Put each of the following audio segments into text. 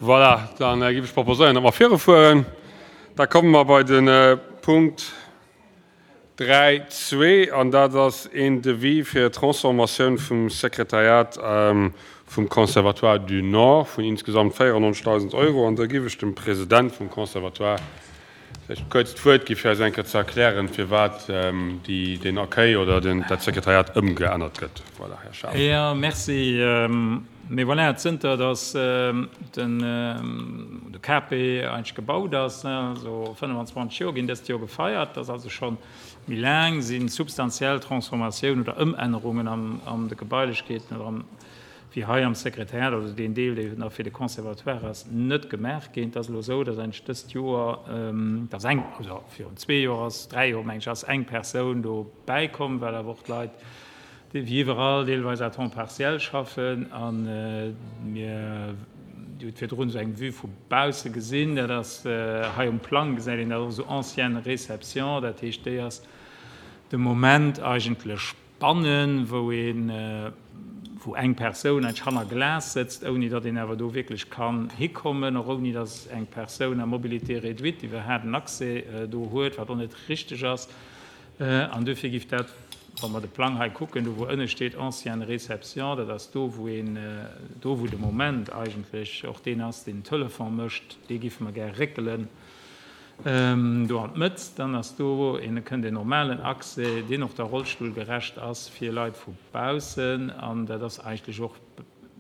Voilà, dann géif ech proposéieren, datt mer virufueren. Da komme mer bei de Punkt 3.2, an dat ass een Devis fir d'Transformatioun vum Sekretariat vum Conservatoire du Nord vun insgesamt 94.000 Euro. An da géif ech dem President vum Conservatoire vläicht kuerz d'Wuert gi fir eis eng Kéier ze erklären, firwat déi, deen Accueil oder den, dat Sekretariat ëmgeännert gëtt. Voilà, Här Schaaf. Jo, merci. Mee voilà, zënter datt den, de KP eigentlech gebaut ass, also 25 Joer ginn dëst Joer gefeiert, dat ass also scho méi laang, si substantiell Transformatiounen oder Ëmännerungen an, an de Gebailechkeeten oder am, wéi hei am Sekretariat, also deen Deel, dee nach fir de Conservatoire ass, net gemaach ginn. Et ass elo esou, datt eigentlech dëst Joer, datt eng, also virun zwee Joer ass, dräi Joer meng ech, ass eng Persoun do bäikomm, well awer och d'Leit, déi wéi iwwerall deelweis à temps partiel schaffen. A mir, Dir hutt virdrun esou eng Vue vu bausse gesinn, dat ass hei um Plang gesäit een dat och esou, ancienne Réception, dat heescht, déi ass de Moment eigentlech Bannen, wou een, wou eng Persoun eigentlech hanner Glas sëtzt, ouni datt een awer do wierklech kann hikommen, och ouni datt eng Persoun à mobilité réduite iwwerhaapt en Accès do huet, wat och net richteg ass. An duerfir giff dat, wa mer de Plang hei kucken, do wou ënne steet ancienne réception, dat ass do wou een, do wou de Moment eigentlech och deen ass, deen den Telefon mécht, dee giffe mer gär réckelen. Do an d'Mëtt, dann ass do een, kënnt een normalen Accès, deen och da rollstullgerecht ass fir Leit vu baussen. An dat ass eigentlech och,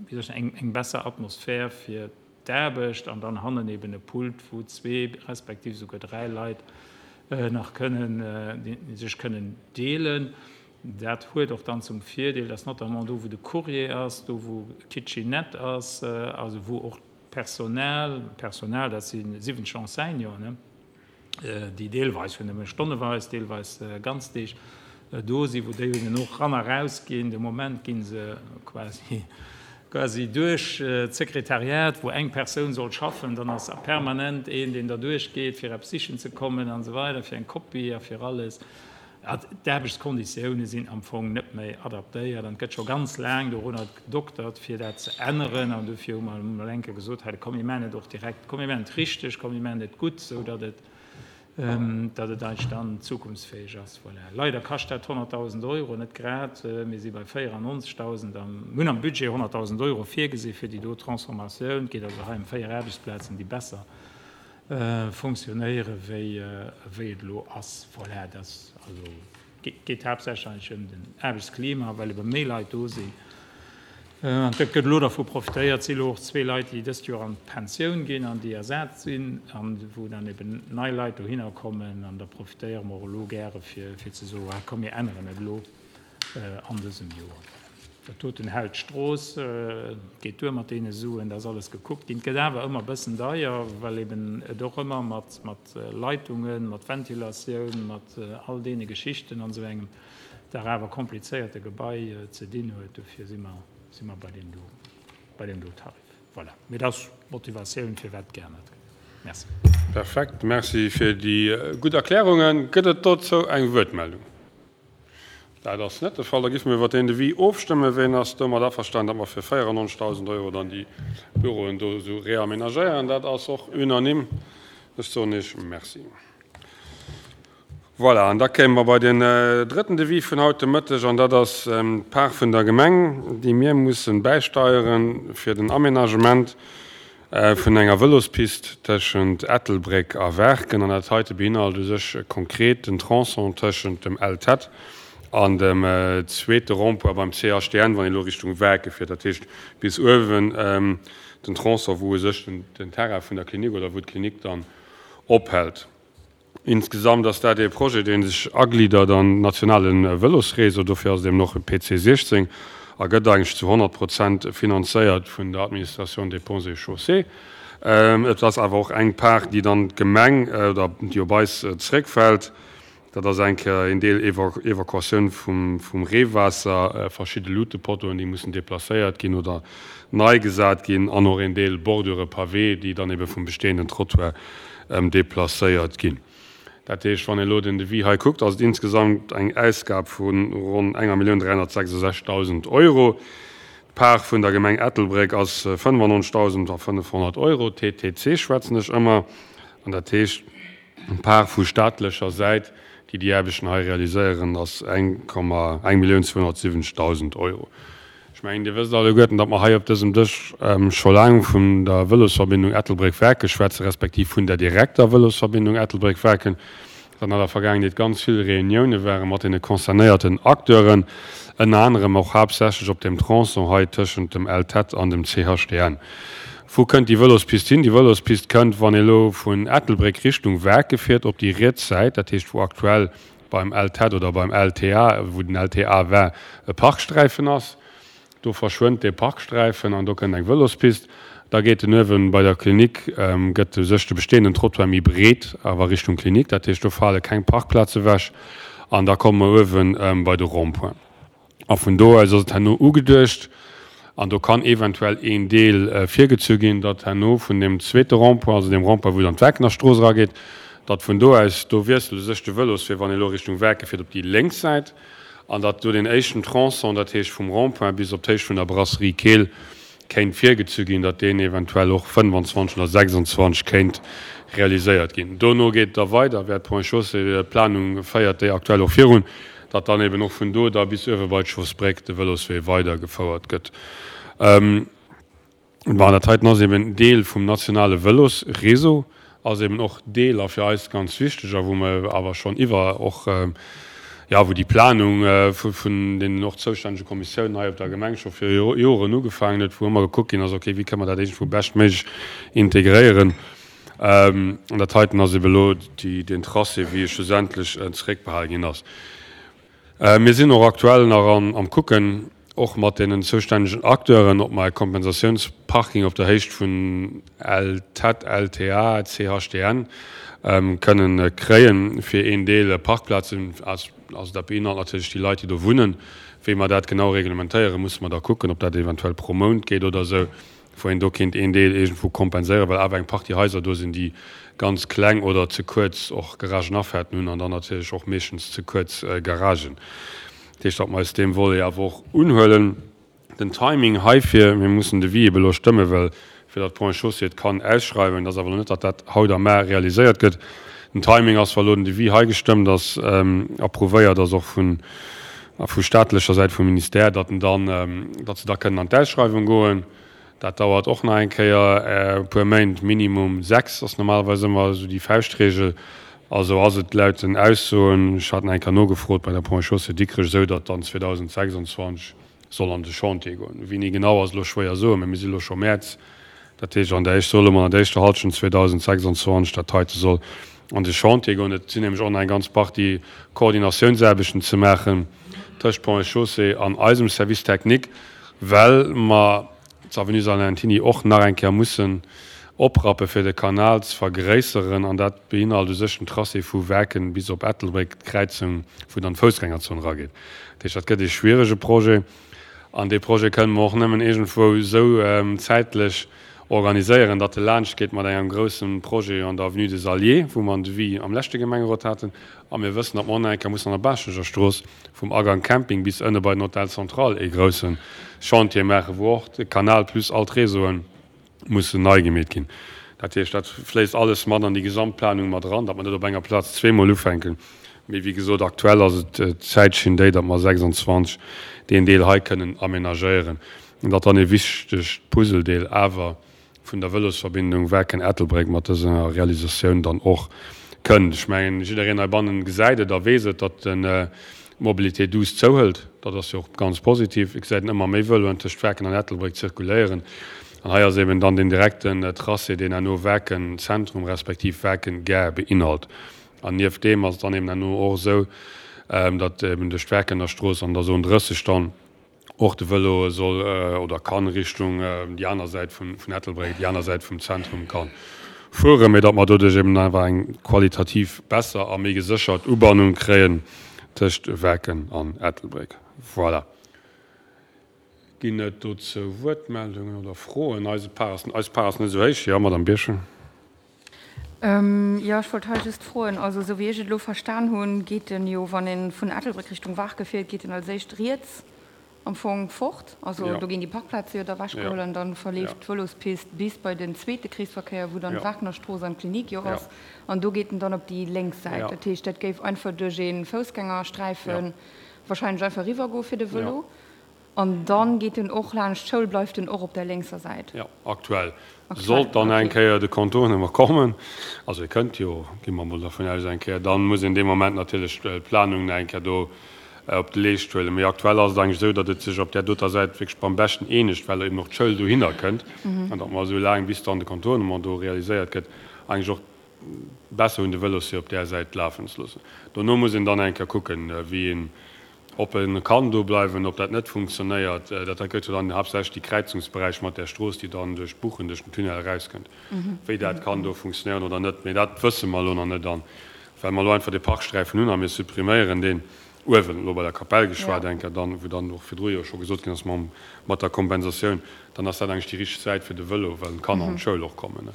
wéi soll ech soen, eng, eng besser Atmosphär fir d'Aarbecht. An dann hannen eben e Pult, wou zwee respektiv esouguer dräi Leit nach kënnen, sech kënnen deelen. Dat huet och dann zum Virdeel, dass notamment do, wou de Courrier ass, do wou d'Kitchenette ass, also wou och D'Personal, Personal, dat si 70 Enseignanten, déi deelweis, jo nëmme stonneweis, deelweis Ganzdeeg do sinn, wou déi eben och ran a raus ginn. De Moment gi se quasi, quasi duerch d'Sekretariat, wou eng Persoun soll schaffen, dann ass permanent een, deen derduerch geet, fir eppes sichen ze kommen an esou weider, fir eng Kopie a fir alles. D'Aarbechtskonditioune sinn am Fong net méi adaptéiert an et gëtt scho ganz laang dorunner gedoktert, fir dat ze änneren. An dofir hu mer emol eng Kéier gesot, hei, komm mir maachen et och direkt, komm mir maachen et richteg, komm mir maachen et gutt, esou datt et, datt et eigentlech dann zukunftsfäeg ass. Voilà. Leider kascht dat 100.000 Euro, net grad, mir si bei 94.000 am, mir hunn am Budget 100.000 Euro virgesi fir déi do Transformatioun. Et geet also hei ëm véier Aarbechtsplazen, déi besser Funktionéiere wéi wéi et elo ass. Voilà, dat also geet haaptsächlech eigentlech ëm den Aarbechtsklima, well ebe méi Leit do sinn. An et gëtt elo dervu profitéiert, et si elo och zwee Leit, déi dëst Joer an d'Pensioun ginn an déi ersat sinn an wou dann eben nei Leit dohinner kommen. An da profitéiere mer och elo gäre fir fir ze soen, ah komm mir änneren et elo. an dësem Joer. Dat doten hält d'Strooss, et geet duer mat deene Suen, da ass alles gekuckt ginn. Et gëtt awer ëmmer e bëssen deier, well eben et och ëmmer mat, mat Leitungen, mat Ventilatioun, mat all deene Geschichten an esou engem dach awer komplizéierte Gebai ze dinn huet. Dofir si mer, si mer bei deem do, bei deem do Tarif. Voilà. Mee dat ass d'Motivatioun, firwat geännert gëtt. Merci. Perfekt. Merci fir déi gutt Erklärungen. Gëtt et dozou eng Wuertmeldung? Dat ass net de Fall. Da géife mir iwwert deen Devis ofstëmmen. Ween ass domat averstanen, datt mer fir 94.000 Euro dann déi Büroen do esou reamenagéieren? Dat ass och unanime. Ech soen Iech Merci. Voilà, an da kéime mer bei den drëtten Devis vun haut de Mëtteg, an dat ass d'Part vun der Gemeng, déi mir mussen bäisteiere fir den Amenagement Vun enger Vëlospist tëschent Ettelbréck a Waarken, an dat heite beinhalt u sech konkret den Tronçon tëschent dem LTEtt an dem zweete Rond-point beim CHDN, wann een elo Richtung Waarke fiert, dat heescht bis uewen den Tronçon, wou u sech den Terrain vun der Klinik oder wou d'Klinik dann ophält. Insgesamt ass dat ee Projet, dee sech agliddert an nationale Vëlosréseau. Dofir ass et eben och e PC 16 a gëtt eigentlech zu 100 Prozent finanzéiert vun der Administration des Ponts et Chaussées. Et ass awer och eng Part, déi dann d'Gemeng oder déi op eis zréckfält. Dat ass eng Kéier een Deel Evakuatioun vum Reewaasser, verschidde Luutepottoen, déi mussen deplacéiert ginn oder nei gesat ginn an och een Deel Bordure pavé, déi dann ebe vum bestehenden Trottoir deplacéiert ginn. Dat heescht, wann ee elo den Devis hei kuckt, ass et insgesamt eng Ausgab vu ronn enger Millioun 366.000 Euro. D'Part vun der Gemeng Ettelbréck ass 95.500 Euro, TTC schwätzen ech ëmmer, an dat heescht, d'Part vu staatlecher Säit, déi déi Aarbechten hei realiséieren, ass 1.270.000 Euro. Ech mengen, Dir wësst alleguerten, datt mer hei op dësem Dësch scho laang vun der Vëlosverbindung Ettelbréck-Waarken schwätzen, respektiv vun der direkter Vëlosverbindung Ettelbréck-Waarken. Datt an der Vergaangenheet ganz vill Reunioune ware mat deene concernéierten Acteuren, ënner anerem och haaptsächlech op deem Tronçon hei tëschent dem LTEtt an dem CHDN. Wou kënnt déi Vëlospist hin? Déi Vëlospist kënnt, wann ee lo vun Ettelbréck Richtung Waarke fiert, op déi riets Säit, dat heescht wou aktuell beim LTEtt oder beim LTA, wou den LTA war, e Parksträifen ass. Do verschwënnt dee Parksträifen an do kënnt eng Vëlospist. Da geet en uewen bei der Klinik, gëtt u sech de bestehenden Trottoir méi breet, awer Richtung Klinik. Dat heescht, do fale keng Parkplaze ewech. An da komme mer uewen bei de Rond-point. A vun do aus ass et herno ugeduecht, an do kann eventuell een Deel virgezu ginn, datt herno vun deem zweete Rond-point, also deem Rond-point, wou et an d'Werkener Strooss erageet, datt vun do aus, do wiesselt u sech de Vëloswee, wann ee elo Richtung Werke fiert, op déi lénks Säit. An datt do deen éischten Tronçon, dat heescht vum Rond-point bis op d'Héicht vun der Brasserie Keel, kéint virgezu ginn, datt deen eventuell och 25 oder 26 kéint realiséiert ginn. Dono geet et da weider, wäert d'Ponts et Chaussées, d'Planung féiert déi aktuell och virun, datt dann eben och vun do da bis uewe bei d'Schossbréck de Vëloswee weidergefouert gëtt. Bon, dat heiten ass eben Deel vum nationale Vëlosreseau, ass eben och Deel a fir eis ganz wichteg a wou mer awer schonn iwwer och, jo, wou déi Planung vun deenen och zoustännege Kommissiounen hei op der Gemeng scho viru Joren ugefaangen huet, wou ëmmer gekuckt ginn ass, okay, wéi kënne mer dat iergendwou beschtméiglech integréieren. An dat heiten ass eben elo déi, deen Tracé, wéi e schlussendlech zeréckbehale ginn ass. Mir sinn och aktuell nach am Kucken, och mat deenen zoustännegen Acteuren, ob mer e Kompensatiounsparking op der Héicht vun LTEtt, LTA, CHDN kënnen kréien, fir een Deel Parkplazen, also dat beinhalt natierlech déi Leit, déi do wunnen. Wéi mer dat genau reglementéieren, musse mer da kucken, ob dat eventuell pro Mount geet oder esou. wou een do kéint een Deel iergendwou kompenséieren, well awer eng Partie Haiser do sinn, déi ganz kleng oder ze kuerz och Garagenafaarten hunn an dann natierlech och meeschtens ze kuerz Garagen. Dat heescht, datt mer eis deem Volet awer och unhuelen. Den Timing heifir, mir mussen de Devis ebe elo stëmmen, well fir datt d'Ponts et Chaussées et kann ausschreiwen, dat ass awer elo net, datt dat haut a mar realiséiert gëtt. Den Timing ass, wa elo den Devis hei gestëmmt ass, approuvéiert ass och vun vu staatlecher Säit vum Ministère, datt en dann, datt se da kënnen an d'Ausschreiwung goen. Dat dauert och nach eng Kéier e puer Méint, minimum 6 ass normalerweis ëmmer esou déi Fauschtregel. Also ass et laut den Aussoen, ech hat nach eng Kéier nogefrot bei der Ponts et Chaussées Dikrech, esou, datt dann 2026 soll an de Chantier goen. Wéini genau ass elo schwéier soen, mä mir si elo scho Mäerz. Dat heescht, an der éischt, solle mer an der éischter Hallschent 2026 dat heite soll an de Chantier goen. Et sinn nämlech och nach eng ganz Partie Koordinatiounsaarbechten ze maachen tëscht Ponts et Chaussées an eisem Service technique, well mer d'Avenue Salentiny och nach eng Kéier mussen oprappe fir de Kanal ze vergréisseren. An dat beinhalt u sech den Tracé vu Werken bis op Ettelbréck, d'Kräizung, wou dann d'Foussgängerzon erageet. Dat heescht, dat gëtt ee schwierege Projet. An dee Projet kënne mer och nëmmen iergendwou esou zäitlech organiséieren, datt e laanscht geet mat engem grousse Projet an der Avenue des Alliés, wou mer en Devis am leschte Gemengerot haten. A mir wëssen, datt mer och nach eng Kéier mussen an der Baaschteger Strooss vum Agang Camping bis ënne bei den Hôtel Central ee grousse Chantier maachen, wou och de Kanal plus all d'Réseauen mussen nei gemeet ginn. Dat heescht, dat fléisst alles mat an déi Gesamtplanung mat eran, datt mer net op enger Plaz zweemol ufänken. Mee wéi gesot, aktuell ass et d'Zäitschinn déi, datt mer 26 deen Deel hei kënnen amenagéieren an datt dann ee wichtegt Puzzledeel awer vun der Vëlosverbindung Werken-Ettelbréck mat dëser Realisatioun dann och kënnt. Ech mengen, jiddereen heibannen gesäit et a weess et, datt den d'Mobilité douce zouhëlt. Dat ass jo och ganz positiv. Et gesäit een ëmmer méi Vëloen tëscht Werken an Ettelbréck zirkuléieren. An hei ass eben dann deen direkten Tracé, deen herno Werken Zentrum respektiv Werken Gare beinhalt. An nieft deem ass et dann eben herno och esou, datt eben duerch d'Werkener Strooss an der Zone 30 dann och de Vëlo soll oder kann Richtung déi aner Säit vun Ettelbréck, déi aner Säit vum Zentrum ka fueren, mee datt mer doduerch eben einfach eng qualitativ besser a méi geséchert Ubannung kréien tëscht Werken an Ettelbréck. Voilà. Ginn et dozou Wuertmeldungen oder Froen? Eise Par ass, eis Par ass net esou héich. Jo, Madame Birchen. Jo, ech wollt hei just froen, also esou wéi ech et elo verstan hunn, geet en jo, wann ee vun Ettelbréck Richtung Waarke fiert, geet en als éischt riets. Am Fong fort. Also do ginn déi Parkplaze jo da ewechgeholl an da verleeft d'Vëlospist bis bei den zweete Kreesverkéier, wou dann d'Wagnerstrooss an d'Klinik jo ass. An do geet en dann op déi lénks Säit. Dat heescht, dat géif einfach duerch ee Foussgängersträife wahrscheinlech einfach eriwwergoe fir de Vëlo. An da geet en och laanscht d'Schoul, bleift en och op der lénkser Säit. Jo, aktuell. Sollt dann eng Kéier de Contournement kommen, also e kënnt jo, gi mer emol dervun aus, eng Kéier, dann muss een dee Moment natierlech d'Planung nach eng Kéier do op de Leescht huelen. Mee aktuell ass et eigentlech esou, datt et sech op där doter Säit wierklech beim beschten eenegt, well eben och d'Schoul dohinner kënnt an datt mer esou laang, bis dann de Contournement do realiséiert gëtt, eigentlech och besser hunn, de Vëloswee op där Säit lafen ze loossen. Dono muss een dann eng Kéier kucken, wéi een, ob e kann do bleiwen, ob dat net funktionéiert. Dat hei gëtt jo dann haaptsächlech déi Kräizungsberäich mat där Strooss, déi dann duerch d'Buchen, duerch den Tunnel erauskënnt, wéi dat kann do funktionéieren oder net. Mee dat wësse mer elo nach net. An well mer elo einfach dee Parksträifen hunn a mir suppriméieren deen uewen, elo bei der Kapell geschwat eng Kéier dann, wou dann och virdru jo scho gesot ginn ass mam, mat der Kompensatioun, dann ass dat eigentlech déi richteg Säit fir de Vëlo, well d'Kanner an d'Schoul och kommen.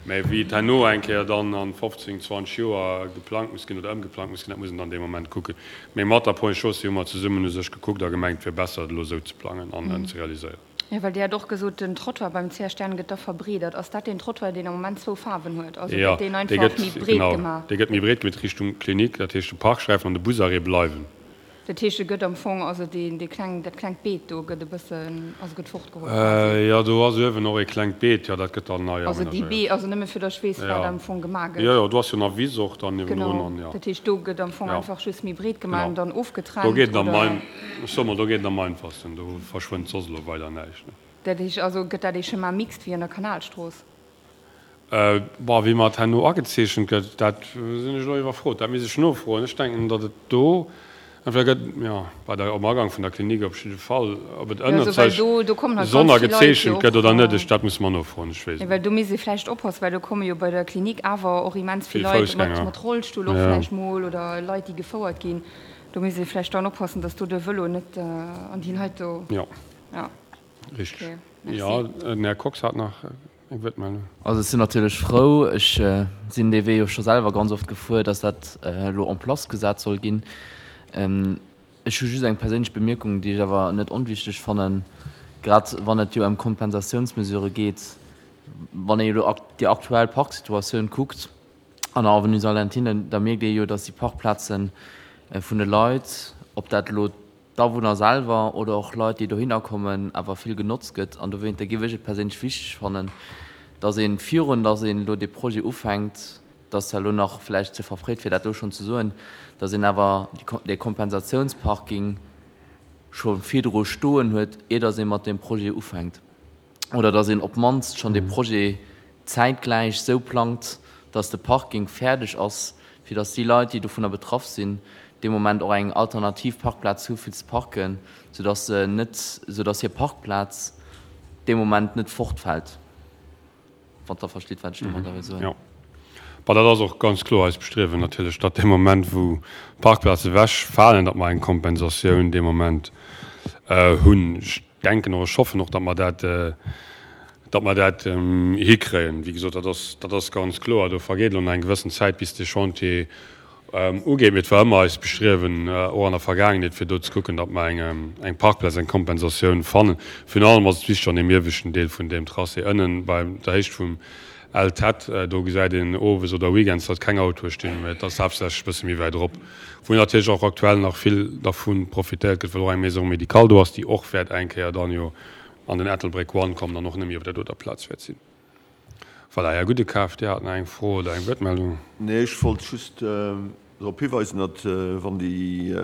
Mä wéi et herno eng Kéier dann a 15, 20 Joer geplangt muss ginn oder ëmgeplangt muss ginn, dat muss een dann dee Moment kucken. Mä mat der Ponts et Chaussées hu mer zesummen u sech gekuckt a gemengt, et wier besser, et elo esou ze plangen an ze realiséieren. Jo, well Dir hat och gesot, den Trottoir beim CH Stern gëtt da verbreedert. Ass dat deen Trottoir, deen am Moment zwou Faarwen huet? Also gëtt deen einfach méi breet gemaach? Genau, dee gëtt méi breet gemaach Richtung Klinik. Dat heescht, de Parksträifen an de Busarrêt bleiwen. Dat heescht, e gëtt am Fong, also deen, dee kleng, dat klengt Beet do gëtt e bëssen, also gëtt fortgeholl quasi? Jo, do ass uewen och ee klengt Beet, jo, dat gëtt dann nei Also déi amenagéiert. Bee, also nëmme fir datt ech weess, wat am Fong gemaach gëtt. Jo, jo, do ass jo nach Wiss och dann niewendrun Genau, an jo. dat heescht, do gëtt am Fong Ja. einfach just méi breet gemaach Genau. an dann Do ofgetrennt, geet et am oder? ein, ech soe mol, do geet et am einfachsten, do verschwënnt soss elo weider näischt, ne. Dat heescht, also gëtt dat ee Chemin mixte wéi an der Kanalstrooss? Bon, wéi mer et herno agezeechent gëtt, dat sinn ech elo iwwerfrot. Dat misst ech nofroen. Ech denken, datt et do entweder gëtt, jo, bei der, um Agank vun der Klinik op jidde Fall, ob et Jo, also ënnert well sech do, do kommen halt ganz sonner vill Leit jo gezeechent gëtt och, oder net, ech, dat musse mer nofroen, ech weess jo, et well net. do misst ee vläicht oppassen, well do komme jo bei der Klinik awer och immens vill Vill Leit mat, Foussgänger, mat Rollstull och jo. vläicht mol oder Leit, déi gefouert ginn. Do misst ee vläicht dann oppassen, datt do de Vëlo net an déi Leit do, Jo, ja. richteg. Okay, merci. Jo, den Här Kox hat nach. Eng Wuertmeldung. Also ech sinn natierlech frou, ech sinn dee Wee jo scho selwer ganz oft gefuer, datt dat elo en place gesat soll ginn. Ech hu just eng perséinlech Bemierkung, déi ech awer net onwichtig fannen, grad wann et jo ëm Kompensatiounsmesurë geet. Wann ee elo déi aktuell Parksituatioun kuckt an der Avenue Salentine, da mierkt ee jo, datt déi Parkplaze vun de Leit, ob dat elo d'Awunner selwer oder och Leit, déi dohinner kommen, awer vill genotzt gëtt. An dowéinter géif ech et perséinlech wichteg fannen, dass een, virun dass een elo dee Projet ufänkt, dat ass zwar elo nach vläicht ze verfréit fir dat elo schonn ze soen, dass een awer dee Kompensatiounsparking scho virdru stoen huet, ier dass ee mat deem Projet ufänkt. oder datt een op d'mannst schonn dee Projet zäitgläich esou plangt, datt de Parking fäerdeg ass, fir datt déi Leit, déi dovunner betraff sinn, dee Moment och eng alternativ Parkplaz hu fir ze parken, soudatt se net, soudatt hir Parkplaz dee Moment net fortfält, wann Der verstitt, wat ech domadder wëll soen. Jo. Bon, dat ass och ganz kloer eist Bestriewen natierlech, datt dee Moment, wou Parkplaze ewechfalen, datt mer eng Kompensatioun dee Moment hunn. Ech denken och, ech hoffen och, datt mer dat, datt mer dat hikréien. Wéi gesot, dat ass, dat ass ganz kloer. Do vergeet elo nach eng gewëssen Zäit, bis dee Chantier ugeet. Mee et war ëmmer eist Bestriewen, och an der Vergaangenheet, fir do ze kucken, datt mer eng, eng Parkplaz, eng Kompensatioun fannen. Virun allem ass et wichteg an deem ieweschten Deel vun deem Tracé ënnen, bei der Héicht vum LTEtt, do gesäit een owes oder weekends, datt keng Autoe stinn, mä et ass haaptsächlech e bësse méi wäit erop, wou natierlech och aktuell nach vill dervu profitéiert gëtt, well och eng Maison médicale do ass, déi och wäert eng Kéier dann jo an den Ettelbréck One kommen an och net méi op där doter Plaz wäert sinn. Voilà, Här Gudekaf, Dir hat nach eng Fro oder eng Wuertmeldung. Nee, ech wollt just drop hiweisen, datt wann déi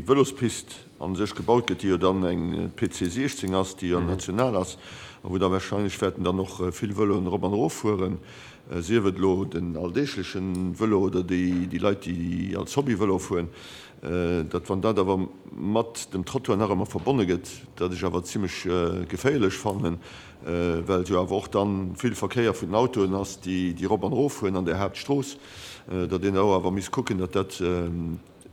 Vëlospist a sech gebaut gëtt, déi jo dann eng PC 16 ass, déi jo national ass a wou da wahrscheinlech wäerten dann och vill Vëloen erop an erof fueren, sief et elo den alldeegleche Vëlo oder déi Leit, déi als Hobby Vëlo fueren, datt wann dat awer mat dem Trottoir nach ëmmer verbonne gëtt, dat ech awer zimlech geféierlech fannen, well jo awer och dann vill Verkéier vun den Autoen ass, déi erop an erof fueren an där Haaptstrooss, datt een do awer misst kucken, datt dat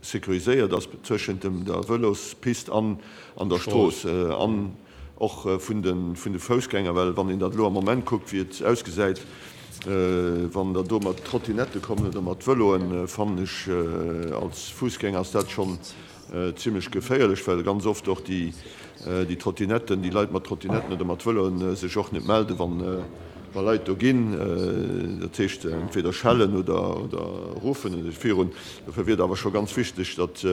sécuriséiert ass zwëschent dem der Vëlospist an an der Strooss an och vun de vun de Foussgänger, well wann een dat elo am Moment kuckt, wéi et ausgesäit, wann der do mat Trottinette kommen oder mat Vëloen, fannen ech als Fuussgänger ass dat schonn. zimlech geféierlech, well ganz oft och déi Trottinetten, déi Leit mat Trottinetten oder mat Vëloen sech och net melden, wa Leit do ginn. Dat heescht entweder schellen oder ruffen virun. Dofir wier et awer scho ganz wichteg, datt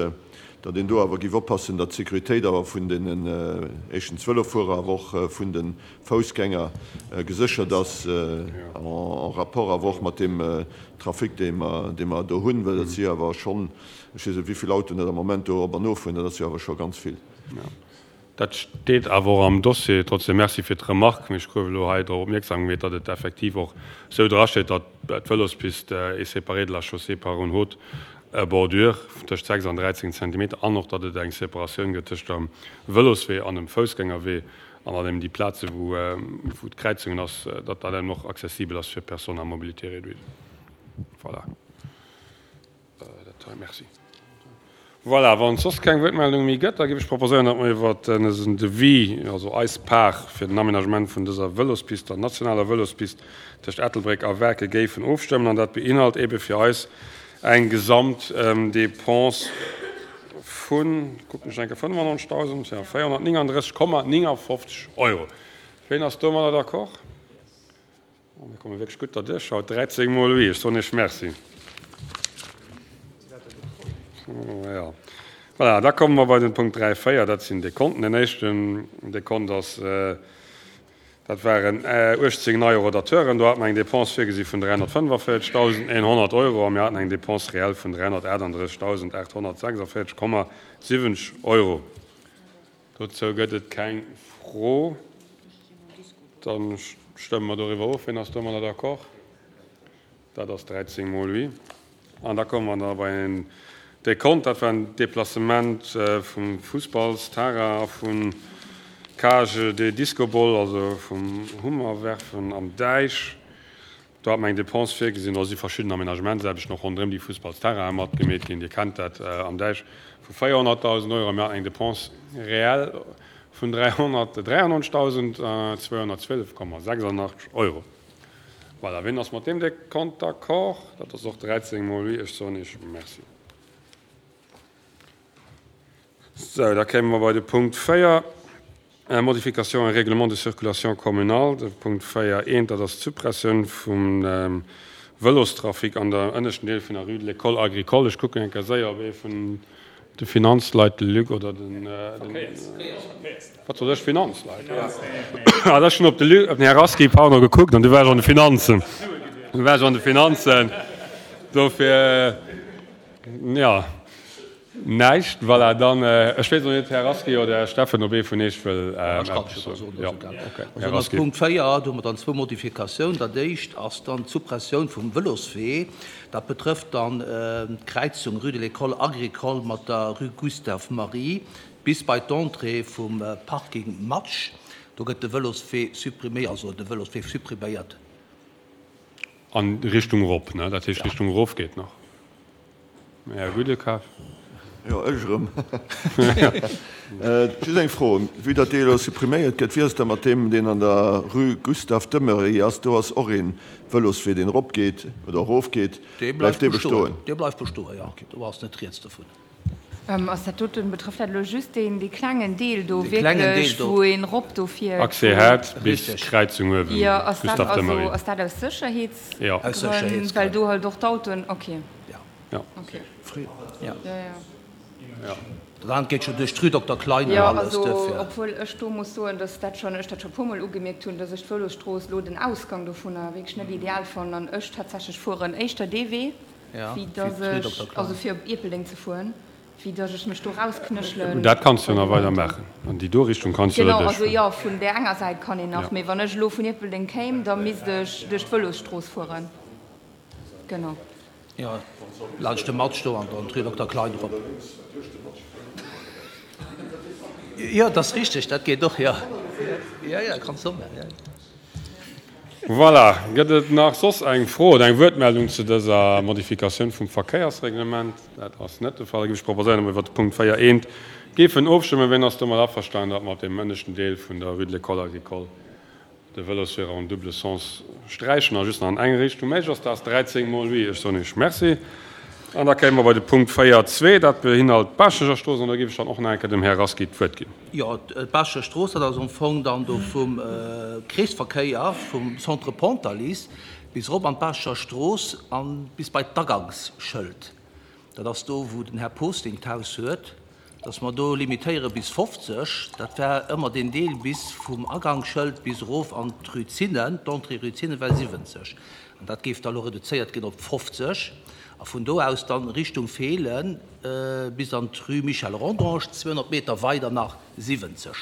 datt een do awer géif oppassen, datt d'Sécuritéit awer vun deenen, éischtens Vëlofuerer, awer och vun de Foussgänger geséchert ass, en rapport awer och mat deem Trafic, dee mer, dee mer do hunn, well dat si awer schonn, ech weess net, wéi vill Autoen dat am Moment do op an offueren, dat ass jo awer scho ganz vill. Dat steet awer och am Dossier. Trotzdem Merci fir d'Remarque. Mee ech gouf elo hei drop opmierksam gemeet, datt et effektiv och esou drasteet, datt d'Vëlospist est séparée de la chaussée par une haute bordure tëscht 6 an 13 Zentimeter an och, datt et eng Separatioun gëtt tëscht dem Vëloswee an dem Foussgängerwee an datt eben déi Plaze wou d'Kräizungen ass, datt dat eben och accessibel ass fir Personnes à mobilité réduite. Voilà. Dat hei, merci. Voilà, wann et soss keng Wuertmeldung méi gëtt, da géif ech proposéieren, datt mer iwwert dësen Devis, also eis Part fir den Aménagement vun dëser Vëlospist, der nationaler Vëlospist tëscht Ettelbréck a Waarke géifen ofstëmmen. An dat beinhalt eebe fir eis eng Gesamtdepense vun, kucken ech eng Kéier, 95.000, jo, 439,59 Euro. Ween ass domadder d'accord? Mir komme wierklech gutt derduerch haut. 13 mol oui. Ech soen Iech Merci. Jo. Voilà, da komme mer bei den Punkt 3, 4. Dat sinn Dekonten. Den éischten Dekont ass, dat waren 18 nei Rodateuren. Do hate mer eng Dépense virgesi vun 345.100 Euro a mir haten eng Dépense réelle vun 338.846,70 Euro. Dozou gëtt et keng Fro. Da stëmme mer doriwwer of. Wien ass domadder d'accord? Dat ass 13 mol oui. An da komme mer da bei en Dekont. Dat war en Deplacement vum Fussballsterrain a vun Cage de Disco-Ball, also vum Hummerwerfen am Däich. Do hat mer eng Dépense virgesinn, do si verschidden Aménagementsaarbechten och ronderëm déi Fussballsterrainen matgemeet ginn, Dir kennt dat am Däich, vu 400.000 Euro. Mir haten eng Dépense réelle vun 393.212,86 Euro. Voilà, wien ass mat deem Dekont d'accord? Dat ass och 13 mol oui. Ech soen Iech Merci. Sou, da kéime mer bei de Punkt 4, Modification et règlement de circulation communal. De Punkt 4, eent, dat ass d'Suppressioun vum Vëlostrafic an der ënneschten Deel vun der Rue de l'École agricole. Ech kucken eng Kéier séier, ob ee vun de Finanzleit, de Luc oder den, wat sot ech, Finanzleit, jo. Ah, ech hunn op de Luc, op den Här Rasqui, pardon, gekuckt an du waars an de Finanzen. Du waars an de Finanzen, dofir, jo. Näischt, voilà, dann, ech weess elo net, Här Rasqué oder Här Steffen, ob ee vun Iech wëll eppes soen. Jo, okay, Här Rasqué. Punkt 4, do hu mer dann zwou Modifikatiounen. Dat éischt ass dann d'Suppressioun vum Vëloswee. Dat betrëfft dann d'Kräizung Rue de l'École Agricole mat der Rue Gustave Marie bis bei d'Entrée vum Parking Matsch. Do gëtt de Vëloswee suppriméiert, also de Vëloswee suppriméiert. An Richtung erop, ne? Dat heescht, Richtung erof geet nach. Här Gudekaf. Jo, ech erëm. Just eng Fro, Vue datt dee elo suppriméiert gëtt, wéi ass et da mat deem, deen an der Rue Gustave Demery ass? Do ass och ee Vëloswee, deen eropgeet oder erofgeet. Dee bleift dee bestoen? Dee bleift bestoen, jo. Do ass net rieds dovun. Ass dat doten, betrëfft dat elo just deen, dee klengen Deel do wierklech, wou een rop do fiert? Accès Haard bis Kräizung uewen, Jo, ass dat also, ass dat aus Sécherheetsgrënn, well do halt och d'Autoen, ok. Jo. Ok. Jo, jo. Dat anert geet scho duerch d'Rue Dokter Klein an alles, duerfir. Jo, also, obwuel ech do muss soen, dass dat schonn, ech dat scho puermol ugemierkt hunn, dass ech d'Vëlosstrooss elo den Ausgang dovunner wierklech net ideal fannen an ech tatsächlech fueren éischter dee Wee. wéi dass ech, also fir op Ierpeldeng ze fueren, wéi dass ech mech do rausknéchelen. Dat kanns du jo nach weider maachen, an déi do Richtung kanns du jo Genau, also jo, vun där enger Säit kann een nach, mee wann ech elo vun Ierpeldeng kéim, da misst ech duerch d'Vëlosstrooss fueren. Genau. Jo, laanscht de Matsch do an dann d'Rue Dokter Klein erop. Jo, dat ass richteg, dat geet och, jo. Jo, jo, kanns du och maachen, jo. Voilà. Gëtt et nach soss eng Fro oder eng Wuertmeldung zu dëser Modifikatioun vum Verkéiersreglement? Dat ass net de Fall. Da géif ech proposéieren, datt mer iwwert de Punkt 4 eent géifen ofstëmmen. Wien ass domat averstanen, datt mer op deem ënneschten Deel vun der Rue de l'École Agricole de Vëlosweeër en double sens sträichen a just nach an eng Richtung méiglech ass? Dat ass 13 mol oui. Ech soen Iech Merci. An da kéime mer bei de Punkt 4.2, dat behinhalt d'Baaschteger Strooss, an da géif ech dann och nach eng Kéier dem Här Rasqui d'Wuert ginn. Jo, d'Baaschteger Strooss, dat ass am Fong dann do vum Kreesverkéier vum Centre Pontalize bis erop an d'Baachteger Strooss a bis bei d'Agangsschëld. Dat ass do, wou den Här Posting d'Haus huet, dass mer do limitéiere bis 50. Dat war ëmmer deen Deel bis vum Agangsschëld bis erof an d'Rue Zinnen, d'Entrée Rue Zinnen war 70. An dat géif da elo reduzéiert ginn op 50. A vun do aus dann Richtung Feelen bis an d'Rue Michel Rodange, 200 Meter weider nach 70.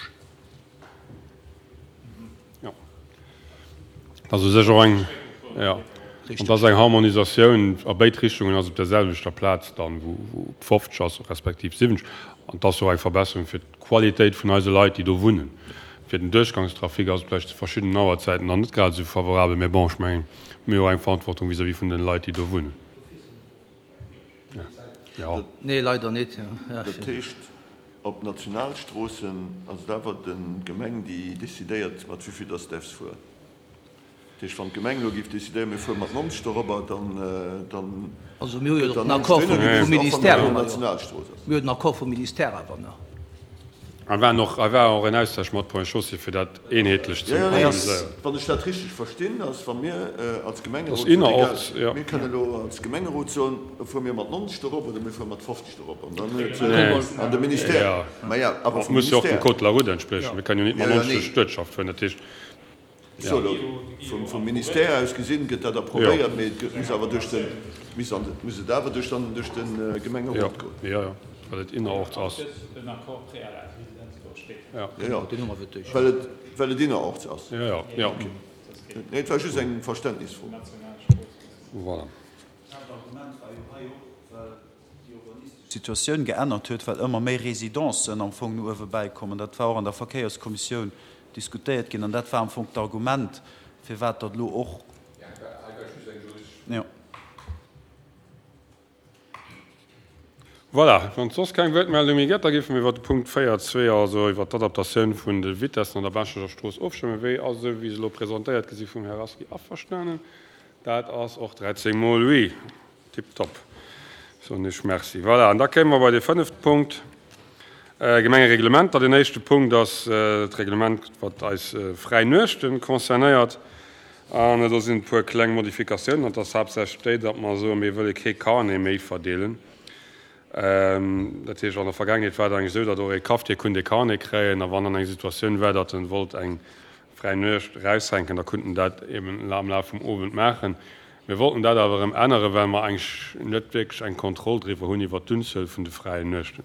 Jo. Dat ass u sech och eng, jo, an dat ass eng Harmonisatioun a béid Richtungen ass op der selwechter Plaz dann, wou wou 50 ass, respektiv 70. An dat ass och eng Verbesserung fir d'Qualitéit vun eise Leit, déi do wunnen. Fir den Duerchgangstrafic ass et vläicht zu verschiddenen Auerzäiten dann net grad esou favorabel, mä bon, ech mengen, mir hu och eng Verantwortung vis-à-vis vun den Leit, déi do wunnen. Jo. Nee, leider net. Dat heescht, op Nationalstroossen ass et awer d'Gemeng, déi decidéiert, mat wéi vill dass se däerfs fueren. Dat heescht, wann d'Gemeng elo géif decidéieren, mir fuere mat 90 dorobber, dann, dann Also mir hu jo gëtt den Accord vum Ministère, hu mer jo. Mir hunn den Accord vum Ministère awer nach. Hei war och, hei war och en Austausch mat Ponts et Chaussées, fir dat eenheetlech ze organiséieren. Wann ech dat richteg verstinn, ass, wa mir als Gemengerot soen, egal, mir kënnen elo als Gemengerot soen, da fuere mir mat 90 dorop oder mir fuere mat 50 dorop. An dann huet an de Ministère, maja, awer vum Ministère. Muss jo och dem Code de la route entspriechen. Mir kënnen jo nit mat 90 duerch d'Uertschaft fueren. Dat heescht. Ech soe elo, vum Ministère aus gesinn, gëtt dat approvéiert, mee et muss awer duerch de, muss an, muss et awer duerch dann duerch de Gemengerot goen. Jo, jo, well et innerorts ass. Jo, jo, well et, well et innerorts ass. Jo, jo, jo. Nee, et war just eng Verständnisfro. Voilà. D'Haaptargument war jo hei och, well déi urbanistesch Situatioun geännert huet, well ëmmer méi Residencen am Fong no uewe bäikommen. Dat war och an der Verkéierskommissioun diskutéiert ginn an dat war am Fong d'Argument, firwat datt elo och. Jo. Voilà, wann et soss keng Wuertmeldung méi gëtt, da géife mir iwwert de Punkt 4.2, also iwwert d'Adaptatioun vun de Vitessen an der Baaschtnecher Strooss ofstëmmen. Wéi ass, esou wéi se elo presentéiert gi si vum Här Rasqui, averstanen? Dat ass och 13 mol oui. Tiptop, soen ech Merci. Voilà, an da kéime mer bei de fënnefte Punkt, Gemengereglementer. Deen éischte Punkt ass d'Reglement, wat eis fräi Nuechte concernéiert. An do sinn e puer kleng Modifikatiounen. An et ass haaptsächlech déi, datt mer soen, mir wëlle kee Carnet méi verdeelen. Dat heescht, an der Vergaangenheet war et eigentlech esou, datt och ee Cafetier konnt ee Carnet kréien. A wann dann eng Situatioun war, datt en wollt eng fräi Nuecht eraushänken, da konnt en dat eben am Laf vum Owend maachen. Mir wollten dat awer erëm änneren, well mer eigentlech net wierklech eng Kontroll driwwer hunn iwwert d'Unzuel vun de fräien Nuechten.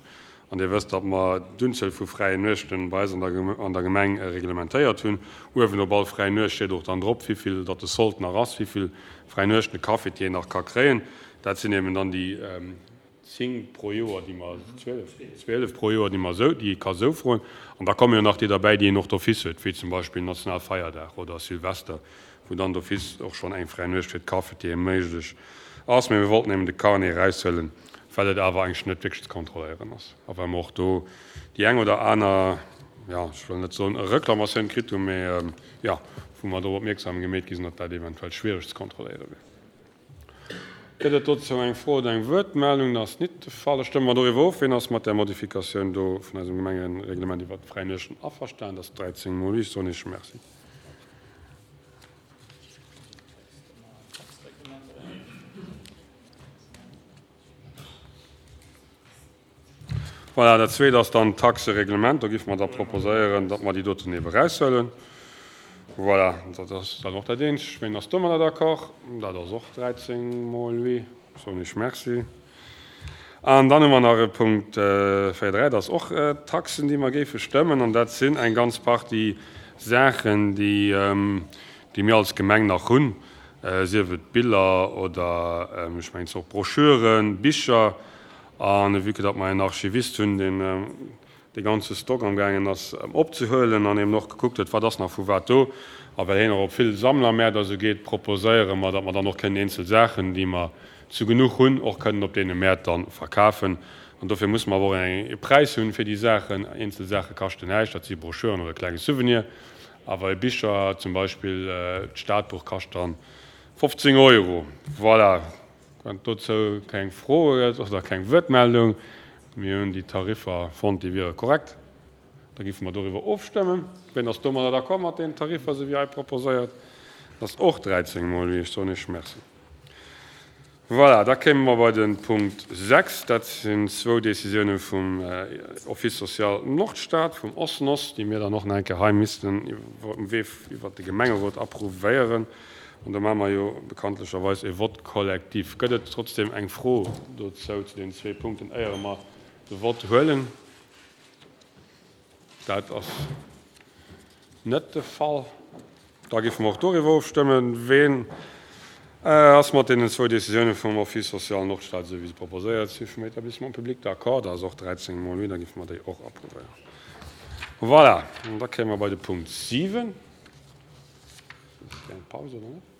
An Dir wësst, datt mer d'Unzuel vu fräien Nuechten bei eis an der Gemeng reglementéiert hunn. Uewen op all fräi Nuecht steet och dann drop, wéivill datt de Sold nach ass, wéivill fräi Nuechten de Cafetier nach ka kréien. Dat sinn eben dann déi 10 pro Joer, déi mer, 12, 12 pro Joer, déi mer esou, déi ee ka esou froen. An da komme jo nach déi derbäi, déi een och d'office huet, wéi zum Beispill Nationalfeierdag oder Silvester, wou dann d'office och schonn eng fräi Nuecht fir d'Cafetiere méiglech ass. Mee mir wollten eben de Carnet eraushuelen, well et awer eigentlech net wierklech ze kontrolléieren ass a well mer och do déi eng oder aner, jo, ech wëll net soen Reklamatioun kritt hunn, mee jo, wou mer drop opmierksam gemeet gi sinn, datt dat eventuell schwiereg ze kontrolléiere wier. Gëtt et dozou eng Fro oder eng Wuertmeldung? Dat ass nit de Fall. Da stëmme mer doriwwer of. Wien ass mat där Modifikatioun do vun eisem Gemengereglement iwwert d'fräi Nuechten averstan? Dat ass 13 mol oui. Ech soen Iech Merci. Voilà, dat Zweet ass dann d'Taxereglement. Do géife mer da proposéieren, datt mer déi doten ebe eraushuelen. Voilà, dat ass dann och dat Eenzegt. Ween ass domadder d'accord? Dat ass och 13 mol oui. Soen ech Merci. An dann hu mer nach e Punkt 4, 3, dat ass och d'Taxen, déi mer géife stëmmen. An dat sinn eng ganz Partie Saachen, déi, déi mir als Gemeng nach hunn, sief et Biller oder, ech mengen, och Broschüren, Bicher. An vue que datt mer en Archivist hunn, deen dee ganze Stock amgaangen ass opzehuelen an eben och gekuckt huet, wat ass nach vu wat do, a well hien och op vill Sammlermäert a sou geet, proposéiere mer, datt mer dann och kënnen eenzel Saachen, déi mer zu genuch hunn, och kënnen op deene Mäert da verkafen. An dofir musse mer awer och e Präis hunn fir déi Saachen. Eenzel Saache kaschten näischt, dat si Broschüren oder e klenge Souvenir, awer e Bicher, zum Beispill d'Stadbuch, kascht dann 15 Euro. Voilà. Wann et dozou keng Froe gëtt oder keng Wuertmeldung, mir hunn déi Tariffer fonnt, déi wiere korrekt, da géife mer doriwwer ofstëmmen. Wien ass domadder d'accord mat deenen Tariffer, esou wéi hei proposéiert? Dat ass och 13 mol oui. Ech soen Iech Merci. Voilà, da kéime mer bei de Punkt 6. Dat sinn zwou Décisioune vum Office social Nordstad, vum OSNOS, déi mir dann och nach eng Kéier hei missten um Wee iwwert de Gemengerot approuvéieren. An do maache mer jo bekanntlecherweis e Vote collectif. Gëtt et trotzdem eng Fro dozou, zu deenen zwee Punkten, éiere mer de Vote huelen? Dat ass net de Fall. Da géife mer och doriwwer ofstëmmen. Ween ass mat deenen zwou Décisioune vum Office social Nordstad, esou wéi se proposéiert si vum Établissement public, d'accord? Dat ass och 13 mol oui, da géife mer déi och approuvéieren. Voilà, an da kéime mer bei de Punkt 7. Eng Paus oder net?